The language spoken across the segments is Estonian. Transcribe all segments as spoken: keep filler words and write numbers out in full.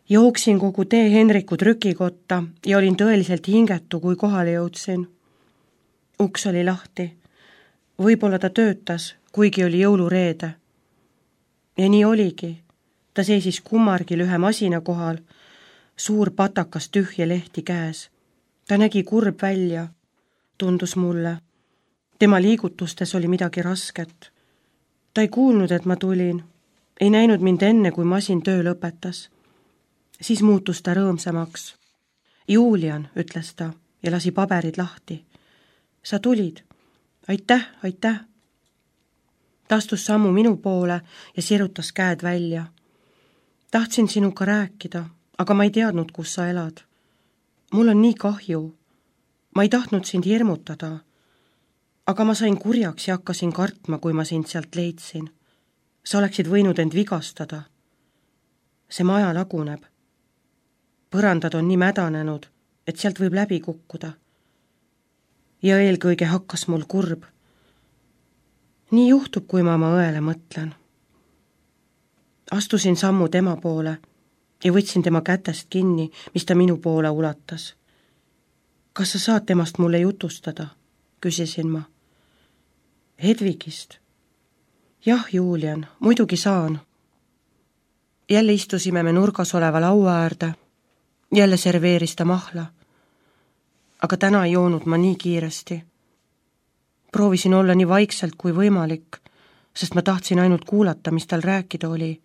Jooksin kogu tee Henriku trükikotta ja olin tõeliselt hingetu, kui kohale jõudsin. Uks oli lahti. Võib-olla ta töötas, kuigi oli jõulureede. Ja nii oligi. Ta seisis kummargil ühe masina kohal, suur patakas tühje lehti käes. Ta nägi kurb välja, tundus mulle. Tema liigutustes oli midagi rasket. Ta ei kuulnud, et ma tulin. Ei näinud mind enne, kui masin töö lõpetas. Siis muutus ta rõõmsamaks. Julian, ütles ta ja lasi paberid lahti. Sa tulid. Aitäh, aitäh. Ta astus sammu minu poole ja sirutas käed välja. Tahtsin sinuga rääkida, aga ma ei teadnud, kus sa elad. Mul on nii kahju. Ma ei tahtnud sind hirmutada. Aga ma sain kurjaks ja hakkasin kartma, kui ma sind sealt leidsin. Sa oleksid võinud end vigastada. See maja laguneb. Põrandad on nii mädanenud, et sealt võib läbi kukkuda. Ja eelkõige hakkas mul kurb. Nii juhtub, kui ma oma õele mõtlen. Astusin sammu tema poole ja võtsin tema kätest kinni, mis ta minu poole ulatas. Kas sa saad temast mulle jutustada? Küsisin ma. Hedvigist. Jah, Julian, muidugi saan. Jälle istusime me nurgas oleva laua äärde. Jälle serveeris ta mahla. Aga täna ei joonud ma nii kiiresti. Proovisin olla nii vaikselt kui võimalik, sest ma tahtsin ainult kuulata, mis tal rääkida oli.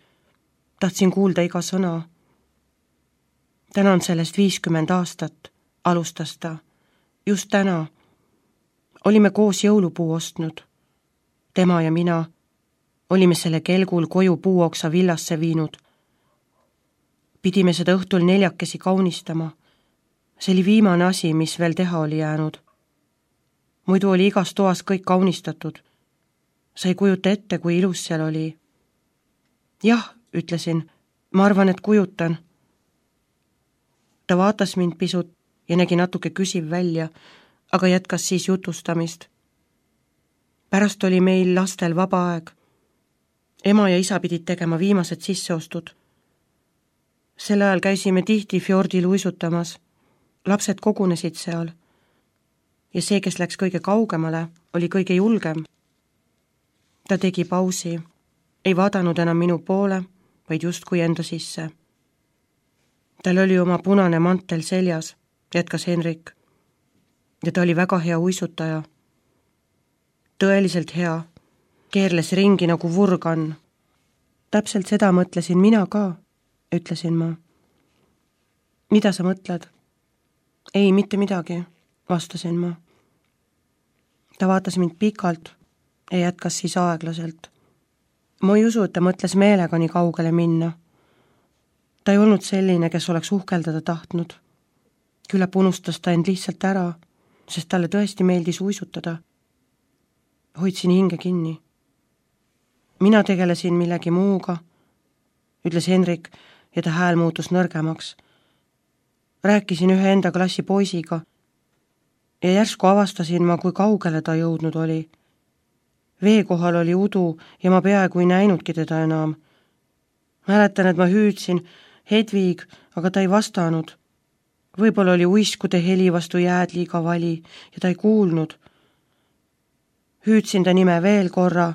Tahtsin kuulda iga sõna. Täna on sellest viiskümmend aastat, alustas ta. Just täna. Olime koos jõulupuu ostnud. Tema ja mina olime selle kelgul koju puuoksa villasse viinud. Pidime seda õhtul neljakesi kaunistama. See oli viimane asi, mis veel teha oli jäänud. Muidu oli igas toas kõik kaunistatud. Sa ei kujuta ette, kui ilus seal oli. Jah, ütlesin, ma arvan, et kujutan. Ta vaatas mind pisut ja nägi natuke küsiv välja, aga jätkas siis jutustamist. Pärast oli meil lastel vaba aeg. Ema ja isa pidid tegema viimased sisseostud. Sel ajal käisime tihti fjordil uisutamas. Lapsed kogunesid seal. Ja see, kes läks kõige kaugemale, oli kõige julgem. Ta tegi pausi. Ei vaadanud enam minu poole, vaid justkui enda sisse. Tal oli oma punane mantel seljas, jätkas Henrik. Ja ta oli väga hea uisutaja. Tõeliselt hea. Keerles ringi nagu vurgan. Täpselt seda mõtlesin mina ka, ütlesin ma. Mida sa mõtled? Ei, mitte midagi, vastasin ma. Ta vaatas mind pikalt ja jätkas siis aeglaselt. Ma ei usu, et ta mõtles meelega nii kaugele minna. Ta ei olnud selline, kes oleks uhkeldada tahtnud. Küllap unustas ta end lihtsalt ära, sest talle tõesti meeldis uisutada. Hoidsin hinge kinni. Mina tegelesin millegi muuga, ütles Henrik ja ta hääl muutus nõrgemaks. Rääkisin ühe enda klassi poisiga ja järsku avastasin ma, kui kaugele ta jõudnud oli. Vee kohal oli udu ja ma peaaegu ei näinudki teda enam. Mäletan, et ma hüüdsin Hedvig, aga ta ei vastanud. Võib-olla oli uiskude heli vastu jääd liiga vali ja ta ei kuulnud. Hüüdsin ta nime veel korra,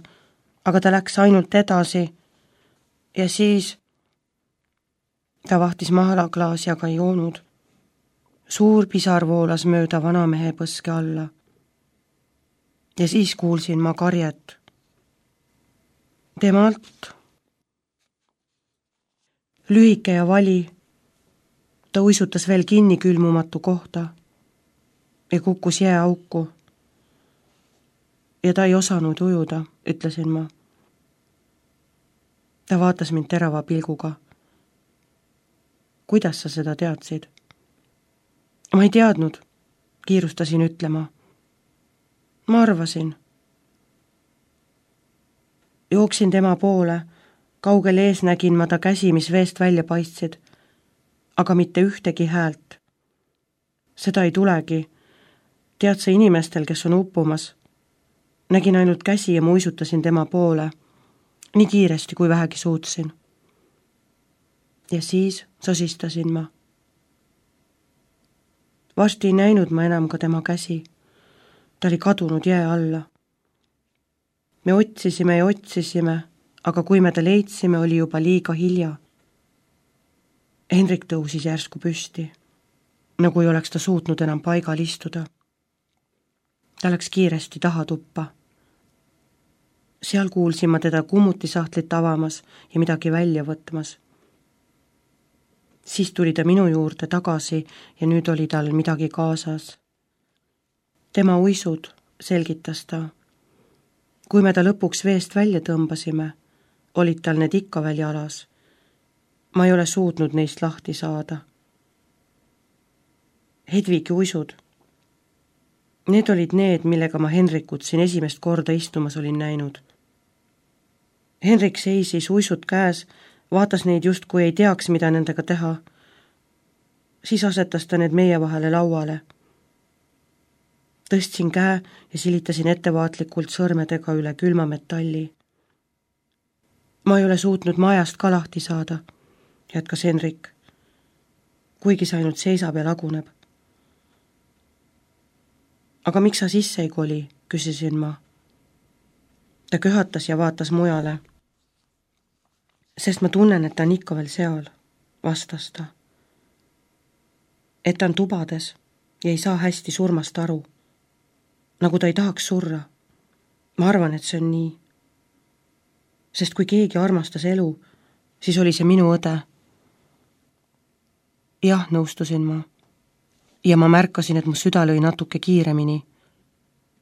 aga ta läks ainult edasi. Ja siis ta vahtis mahalaklaasi, aga ei joonud. Suur pisar voolas mööda vanamehe põske alla. Ja siis kuulsin ma karjet. Temalt. Lühike ja vali. Ta uisutas veel kinni külmumatu kohta ja kukkus jääauku. Ja ta ei osanud ujuda, ütlesin ma. Ta vaatas mind terava pilguga. Kuidas sa seda teadsid? Ma ei teadnud, kiirustasin ütlema. Ma arvasin. Jooksin tema poole, kaugel ees nägin ma ta käsi, mis veest välja paistsid, aga mitte ühtegi häält. Seda ei tulegi. Tead sa inimestel, kes on uppumas? Nägin ainult käsi ja muisutasin tema poole, nii kiiresti kui vähegi suutsin. ja siis sosistasin ma. Varsti ei näinud ma enam ka tema käsi. Ta oli kadunud jää alla. Me otsisime ja otsisime, aga kui me ta leidsime, oli juba liiga hilja. Hendrik tõusis järsku püsti, nagu ei oleks ta suutnud enam paigal istuda. Ta läks kiiresti taha tuppa. Seal kuulsin ma teda kummutisahtlit avamas ja midagi välja võtmas. Siis tuli ta minu juurde tagasi ja nüüd oli tal midagi kaasas. Tema uisud, selgitas ta. Kui me ta lõpuks veest välja tõmbasime, olid tal need ikka veel jalas. Ma ei ole suutnud neist lahti saada. Hedvigi uisud. Need olid need, millega ma Henrikut siin esimest korda istumas olin näinud. Henrik seisis uisud käes, vaatas neid just, kui ei teaks, mida nendega teha. Siis asetas ta need meie vahele lauale. Tõstsin käe ja silitasin ettevaatlikult sõrmedega üle külma metalli. Ma ei ole suutnud majast ka lahti saada, jätkas Henrik, kuigi see ainult seisab ja laguneb. Aga miks sa sisse ei koli, küsisin ma. Ta köhatas ja vaatas mujale. Sest ma tunnen, et ta on ikka veel seal, vastas ta. Et ta on tubades ja ei saa hästi surmast aru. Nagu ta ei tahaks surra. Ma arvan, et see on nii. Sest kui keegi armastas elu, siis oli see minu õde. Jah, nõustusin ma. Ja ma märkasin, et mu süda lõi natuke kiiremini.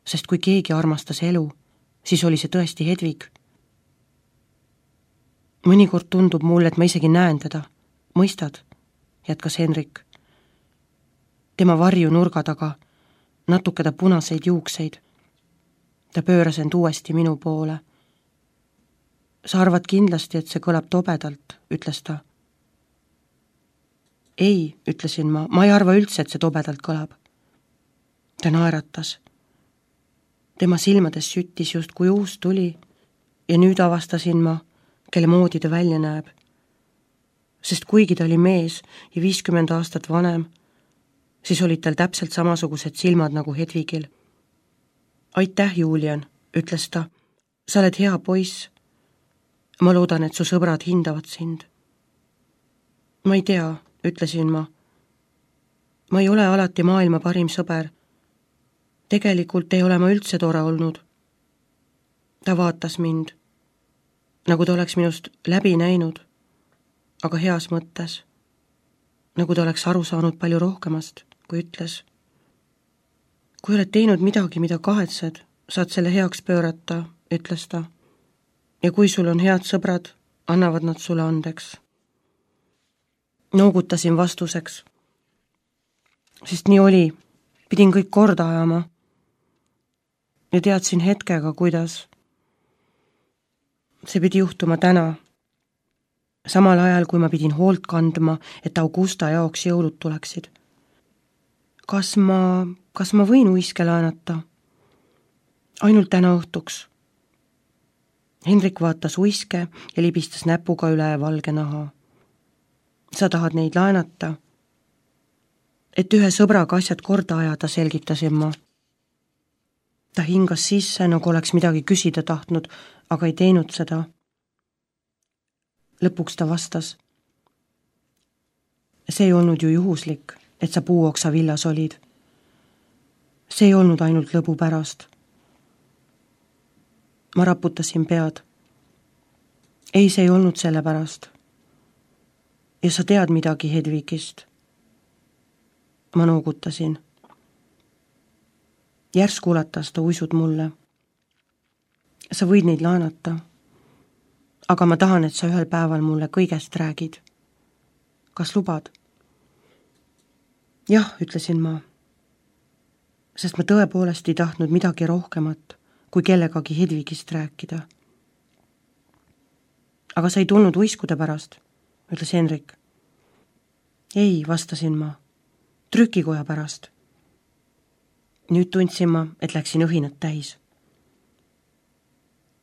Sest kui keegi armastas elu, siis oli see tõesti Hedvig. Mõnikord tundub mulle, et ma isegi näen teda. Mõistad, jätkas Henrik. Tema varju nurga taga, natuke ta punaseid juukseid. Ta pööras end uuesti minu poole. Sa arvad kindlasti, et see kõlab tobedalt, ütles ta. Ei, ütlesin ma, ma ei arva üldse, et see tobedalt kõlab. Ta naeratas. Tema silmades süttis just kui uus tuli ja nüüd avastasin ma, kelle moodi ta välja näeb. Sest kuigi ta oli mees ja viiskümmend aastat vanem, siis olid tal täpselt samasugused silmad nagu Hedvigil. Aitäh, Julian, ütles ta. Sa oled hea poiss. Ma loodan, et su sõbrad hindavad sind. Ma ei tea, ütlesin ma. Ma ei ole alati maailma parim sõber. Tegelikult ei ole ma üldse tore olnud. Ta vaatas mind, nagu ta oleks minust läbi näinud, aga heas mõttes, nagu ta oleks aru saanud palju rohkemast, kui ütles. Kui oled teinud midagi, mida kahetsed, saad selle heaks pöörata, ütles ta. Ja kui sul on head sõbrad, annavad nad sulle andeks. Noogutasin vastuseks, sest nii oli, pidin kõik korda ajama ja teadsin hetkega, kuidas. See pidi juhtuma täna, samal ajal, kui ma pidin hoolt kandma, et Augusta jaoks jõulud tuleksid. Kas ma, kas ma võin uiske laenata? Ainult täna õhtuks. Hendrik vaatas uiske ja libistas näpuga üle valge naha. Sa tahad neid laenata? Et ühe sõbraga asjad korda ajada, selgitasin ma. Ta hingas sisse, nagu oleks midagi küsida tahtnud, aga ei teinud seda. Lõpuks ta vastas. See ei olnud ju juhuslik, et sa puuoksa villas olid. See ei olnud ainult lõbu pärast. Ma raputasin pead. Ei, see ei olnud selle pärast. Ja sa tead midagi Hedvigist. Ma noogutasin. Järsku ulatas ta uisud mulle. Sa võid neid laenata, aga ma tahan, et sa ühel päeval mulle kõigest räägid. Kas lubad? Jah, ütlesin ma, sest ma tõepoolest ei tahtnud midagi rohkemat, kui kellegagi Hedvigist rääkida. Aga sa ei tulnud uiskude pärast, ütles Henrik. Ei, vastasin ma, trükikoja pärast. Nüüd tundsin ma, et läksin õhinat täis.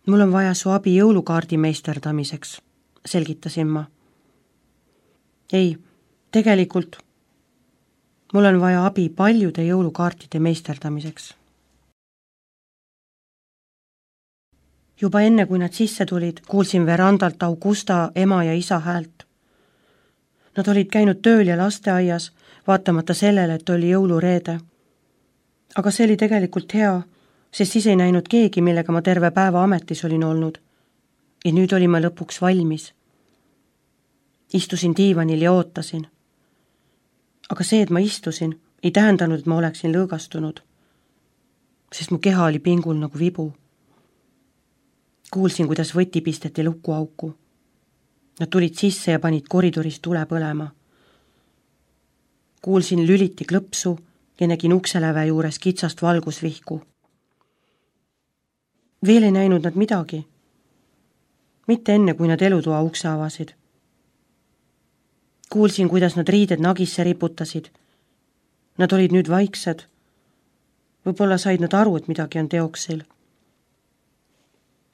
Mul on vaja su abi jõulukaardi meisterdamiseks, selgitasin ma. ei, tegelikult mul on vaja abi paljude jõulukaartide meisterdamiseks. Juba enne, kui nad sisse tulid, kuulsin verandalt Augusta ema ja isa häält. Nad olid käinud tööl ja lasteaias, vaatamata sellele, et oli jõulureede. Aga see oli tegelikult hea, sest siis ei näinud keegi, millega ma terve päeva ametis olin olnud. Ja nüüd olin ma lõpuks valmis. Istusin diivanil ja ootasin. Aga see, et ma istusin, ei tähendanud, et ma oleksin lõõgastunud, sest mu keha oli pingul nagu vibu. Kuulsin, kuidas võti pisteti lukuauku. Nad tulid sisse ja panid koridoris tule põlema. Kuulsin lüliti klõpsu ja nägin ukseläve juures kitsast valgusvihku. Veel ei näinud nad midagi. Mitte enne, kui nad elutoa ukse avasid. Kuulsin, kuidas nad riided nagisse riputasid. Nad olid nüüd vaiksed. Võib-olla said nad aru, et midagi on teoksil.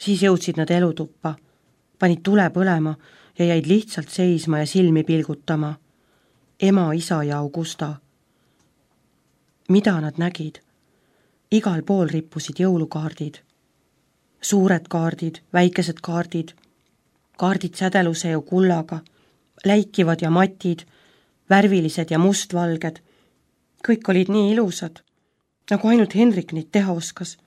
Siis jõudsid nad elutuppa, panid tule põlema ja jäid lihtsalt seisma ja silmi pilgutama. Ema, isa ja Augusta. Mida nad nägid? Igal pool rippusid jõulukaardid. Suured kaardid, väikesed kaardid, kaardid sädeluse ja kullaga, läikivad ja matid, värvilised ja mustvalged. Kõik olid nii ilusad, nagu ainult Henrik neid teha oskas.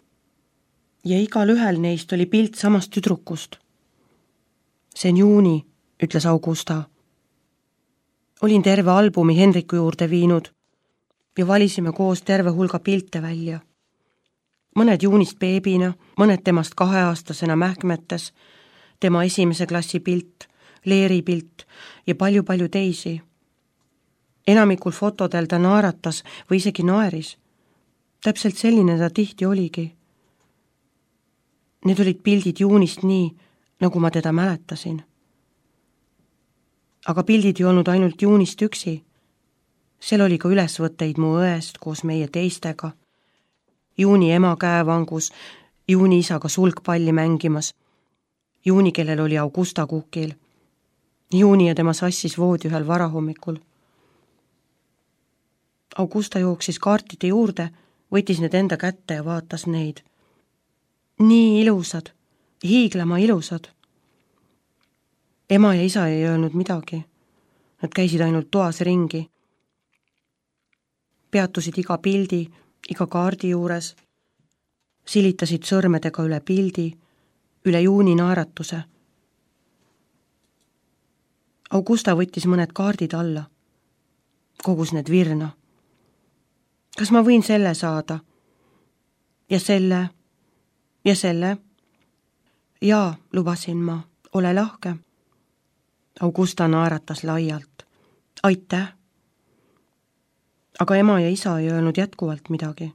Ja igal ühel neist oli pilt samast tüdrukust. See on juuni, ütles Augusta. Olin terve albumi Henriku juurde viinud ja valisime koos terve hulga pilte välja. Mõned juunist beebina, mõned temast kaheaastasena mähkmetes, tema esimese klassi pilt, Leeri pilt ja palju-palju teisi. Enamikul fotodel ta naeratas või isegi naeris. Täpselt selline ta tihti oligi. Need olid pildid juunist nii, nagu ma teda mäletasin. Aga pildid ei olnud ainult juunist üksi. Seal oli ka ülesvõtteid mu õest koos meie teistega. Juuni ema käevangus, juuni isaga sulgpalli mängimas, juuni, kellel oli Augusta kukil, juuni ja tema sassis voodi ühel varahommikul. Augusta jooksis kaartide juurde, võttis need enda kätte ja vaatas neid. Nii ilusad, hiiglama ilusad. Ema ja isa ei öelnud midagi. Nad käisid ainult toas ringi. Peatusid iga pildi, iga kaardi juures. Silitasid sõrmedega üle pildi, üle juuni naeratuse. Augusta võttis mõned kaardid alla. Kogus need virna. Kas ma võin selle saada? Ja selle... Ja selle? Jaa, lubasin ma, ole lahke. Augusta naeratas laialt. Aitäh. Aga ema ja isa ei öelnud jätkuvalt midagi.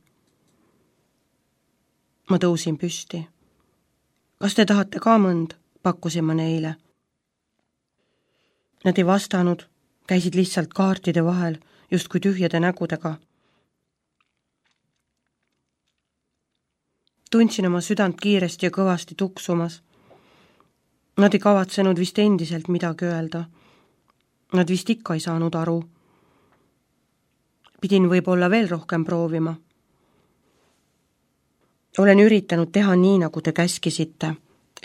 Ma tõusin püsti. Kas te tahate ka mõnd? Pakkusin ma neile. Nad ei vastanud, käisid lihtsalt kaartide vahel, justkui tühjade nägudega. Tundsin oma südant kiiresti ja kõvasti tuksumas. Nad ei kavatsenud vist endiselt midagi öelda. Nad vist ikka ei saanud aru. Pidin võib-olla veel rohkem proovima. Olen üritanud teha nii, nagu te käskisite,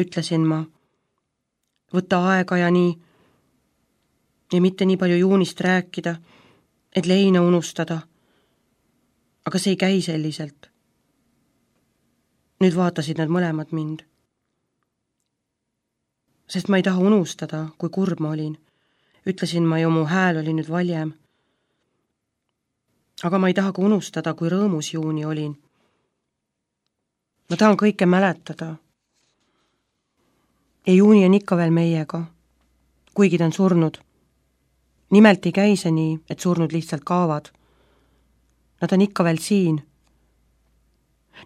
ütlesin ma. Võtta aega ja nii. Ja mitte nii palju juunist rääkida, et leina unustada. Aga see ei käi selliselt. Nüüd vaatasid nad mõlemad mind. Sest ma ei taha unustada, kui kurb ma olin. Ütlesin ma ju, mu hääl oli nüüd valjem. Aga ma ei taha ka unustada, kui rõõmus juuni olin. Ma tahan kõike mäletada. Ja juuni on ikka veel meiega, kuigi ta on surnud. Nimelt ei käi see nii, et surnud lihtsalt kaavad. Nad on ikka veel siin.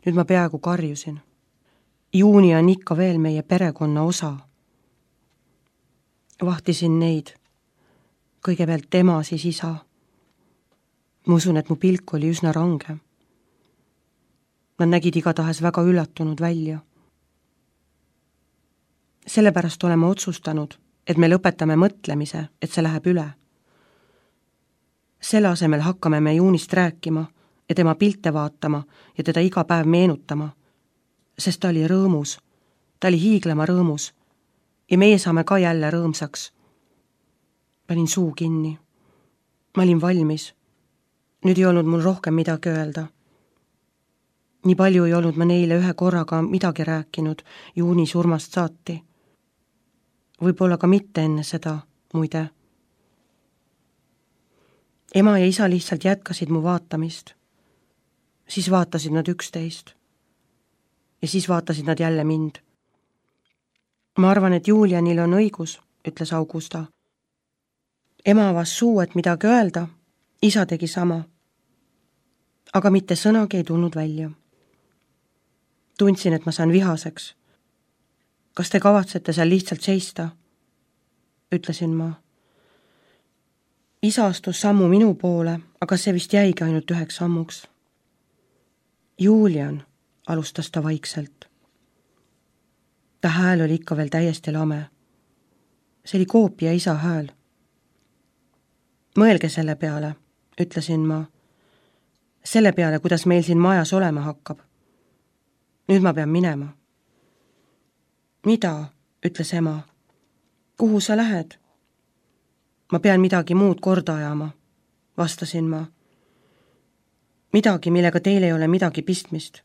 Nüüd ma peaaegu karjusin. Juuni on ikka veel meie perekonna osa. Vahtisin neid. Kõigepealt tema, siis isa. Ma usun, et mu pilk oli üsna range. Nad nägid igatahes väga üllatunud välja. Sellepärast oleme otsustanud, et me lõpetame mõtlemise, et see läheb üle. Selle asemel hakkame me Juunist rääkima ja tema pilte vaatama ja teda iga päev meenutama, sest ta oli rõõmus, ta oli hiiglema rõõmus ja meie saame ka jälle rõõmsaks. Panin suu kinni. Ma olin valmis. Nüüd ei olnud mul rohkem midagi öelda. Nii palju ei olnud ma neile ühe korraga midagi rääkinud Juuni surmast saati. Võib-olla ka mitte enne seda, muide. Ema ja isa lihtsalt jätkasid mu vaatamist. Siis vaatasid nad üksteist. Ja siis vaatasid nad jälle mind. Ma arvan, et Julianil on õigus, ütles Augusta. Ema avas suu, et midagi öelda, isa tegi sama. Aga mitte sõnagi ei tulnud välja. Tundsin, et ma saan vihaseks. Kas te kavatsete seal lihtsalt seista? Ütlesin ma. Isa astus sammu minu poole, aga see vist jäigi ainult üheks sammuks. Julian, alustas ta vaikselt. Ta hääl oli ikka veel täiesti lame. See oli koopia isa hääl. Mõelge selle peale, ütlesin ma. Selle peale, kuidas meil siin majas olema hakkab. Nüüd ma pean minema. Mida, ütles ema. Kuhu sa lähed? Ma pean midagi muud korda ajama, vastasin ma. Midagi, millega teil ei ole midagi pistmist.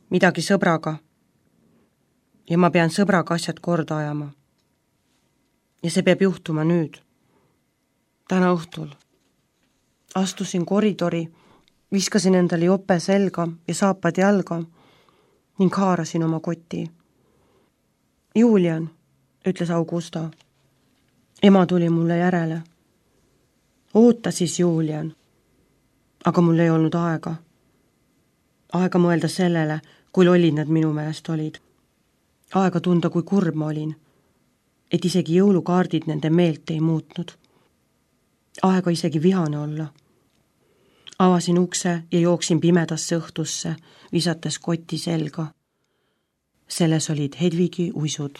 Midagi sõbraga. Ja ma pean sõbraga asjad korda ajama. Ja see peab juhtuma nüüd. Täna õhtul. Astusin koridori, viskasin endale jope selga ja saapad jalga ning haarasin oma koti. Julian, ütles Augusta. Ema tuli mulle järele. Oota siis, Julian. Aga mul ei olnud aega. Aega mõelda sellele, kui lollid nad minu meelest olid. Aega tunda, kui kurb ma olin, et isegi jõulukaardid nende meelt ei muutnud. Aega isegi vihane olla. Avasin ukse ja jooksin pimedasse õhtusse, visates koti selga. Selles olid Hedvigi uisud.